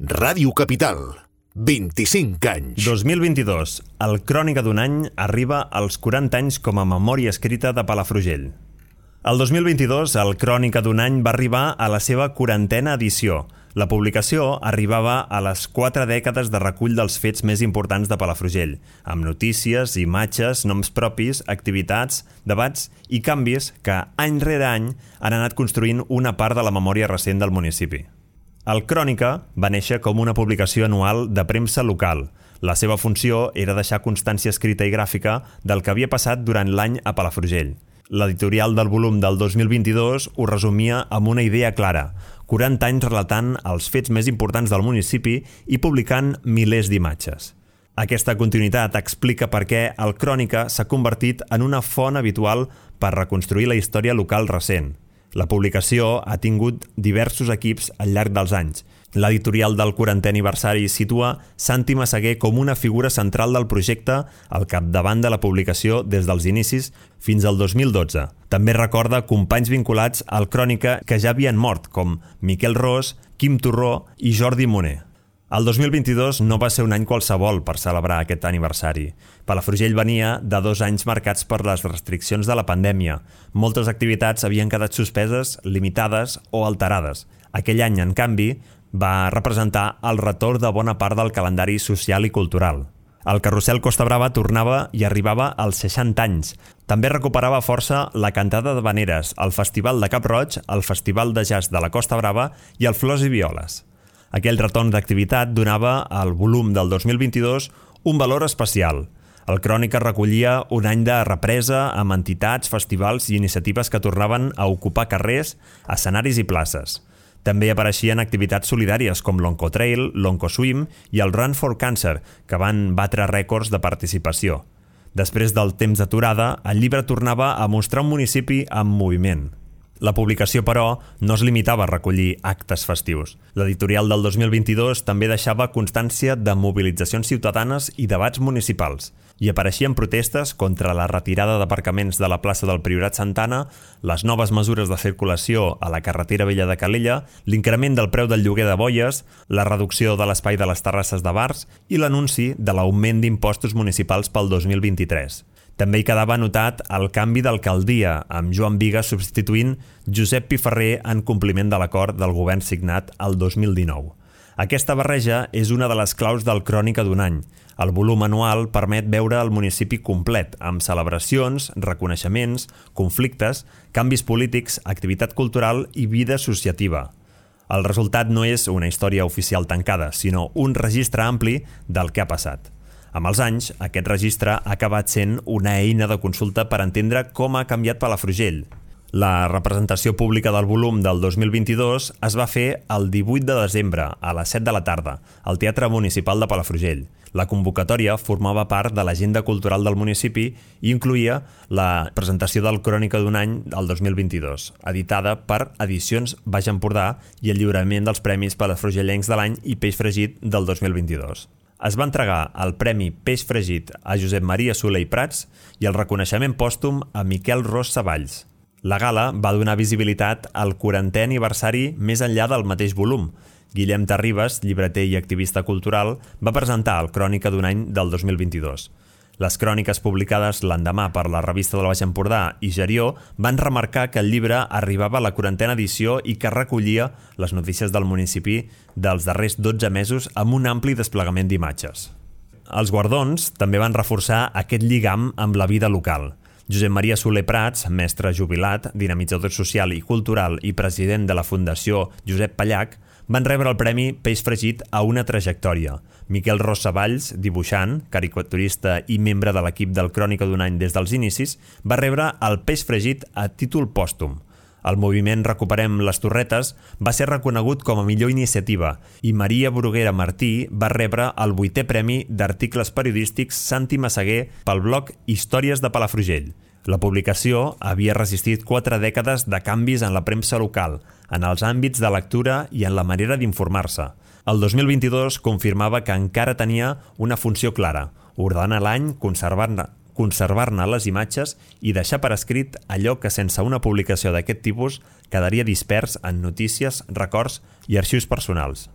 Ràdio Capital, 25 anys. 2022. El Crònica d'un any arriba als 40 anys com a memòria escrita de Palafrugell. El 2022, el Crònica d'un any va arribar a la seva 40a edició. La publicació arribava a les 4 dècades de recull dels fets més importants de Palafrugell, amb notícies, imatges, noms propis, activitats, debats i canvis que, any rere any, han anat construint una part de la memòria recent del municipi. El Crònica va néixer com una publicació anual de premsa local. La seva funció era deixar constància escrita i gràfica del que havia passat durant l'any a Palafrugell. L'editorial del volum del 2022 ho resumia amb una idea clara: 40 anys relatant els fets més importants del municipi i publicant milers d'imatges. Aquesta continuïtat explica per què el Crònica s'ha convertit en una font habitual per reconstruir la història local recent. La publicació ha tingut diversos equips al llarg dels anys. L'editorial del 40è aniversari situa Santi Massaguer com una figura central del projecte al capdavant de la publicació des dels inicis fins al 2012. També recorda companys vinculats al Crònica que ja havien mort, com Miquel Ros, Quim Torró i Jordi Moner. El 2022 no va ser un any qualsevol per celebrar aquest aniversari. Palafrugell venia de 2 anys marcats per les restriccions de la pandèmia. Moltes activitats havien quedat suspeses, limitades o alterades. Aquell any, en canvi, va representar el retorn de bona part del calendari social i cultural. El Carrusel Costa Brava tornava i arribava als 60 anys. També recuperava força la cantada de Veneres, el Festival de Cap-roig, el Festival de Jazz de la Costa Brava i el Flors i Violes. Aquell retorn d'activitat donava al volum del 2022 un valor especial. El Crònica recollia un any de represa amb entitats, festivals i iniciatives que tornaven a ocupar carrers, escenaris i places. També apareixien activitats solidàries com l'Oncotrail, l'Oncoswim i el Run for Cancer, que van batre rècords de participació. Després del temps d'aturada, el llibre tornava a mostrar un municipi en moviment. La publicació, però, no es limitava a recollir actes festius. L'editorial del 2022 també deixava constància de mobilitzacions ciutadanes i debats municipals. Hi apareixien protestes contra la retirada d'aparcaments de la plaça del Priorat Santana, les noves mesures de circulació a la carretera vella de Calella, l'increment del preu del lloguer de boies, la reducció de l'espai de les terrasses de bars i l'anunci de l'augment d'impostos municipals pel 2023. També hi quedava anotat el canvi d'alcaldia, amb Joan Bigas substituint Josep Piferrer en compliment de l'acord del govern signat el 2019. Aquesta barreja és una de les claus del Crònica d'un any. El volum anual permet veure el municipi complet, amb celebracions, reconeixements, conflictes, canvis polítics, activitat cultural i vida associativa. El resultat no és una història oficial tancada, sinó un registre ampli del que ha passat. Amb els anys, aquest registre ha acabat sent una eina de consulta per entendre com ha canviat Palafrugell. La representació pública del volum del 2022 es va fer el 18 de desembre, a les 7 de la tarda, al Teatre Municipal de Palafrugell. La convocatòria formava part de l'agenda cultural del municipi i incloïa la presentació del Crònica d'un any del 2022, editada per Edicions Baix Empordà, i el lliurament dels Premis Palafrugellencs de l'any i Peix Fregit del 2022. Es va entregar el Premi Peix Fregit a Josep Maria Soler i Prats i el reconeixement pòstum a Miquel Ros Savalls. La gala va donar visibilitat al 40è aniversari més enllà del mateix volum. Guillem Terribas, llibreter i activista cultural, va presentar el Crònica d'un any del 2022. Les cròniques publicades l'endemà per la revista del Baix Empordà i Gerió van remarcar que el llibre arribava a la 40a edició i que recollia les notícies del municipi dels darrers 12 mesos amb un ampli desplegament d'imatges. Els guardons també van reforçar aquest lligam amb la vida local. Josep Maria Soler Prats, mestre jubilat, dinamitzador social i cultural i president de la Fundació Josep Pallac, van rebre el Premi Peix Fregit a una trajectòria. Miquel Ros Savalls, dibuixant, caricaturista i membre de l'equip del Crònica d'un any des dels inicis, va rebre el Peix Fregit a títol pòstum. El moviment Recuperem les Torretes va ser reconegut com a millor iniciativa i Maria Bruguera Martí va rebre el 8è Premi d'Articles Periodístics Santi Massaguer pel blog Històries de Palafrugell. La publicació havia resistit 4 dècades de canvis en la premsa local, en els àmbits de lectura i en la manera d'informar-se. El 2022 confirmava que encara tenia una funció clara: ordenar l'any, conservar-ne les imatges i deixar per escrit allò que sense una publicació d'aquest tipus quedaria dispers en notícies, records i arxius personals.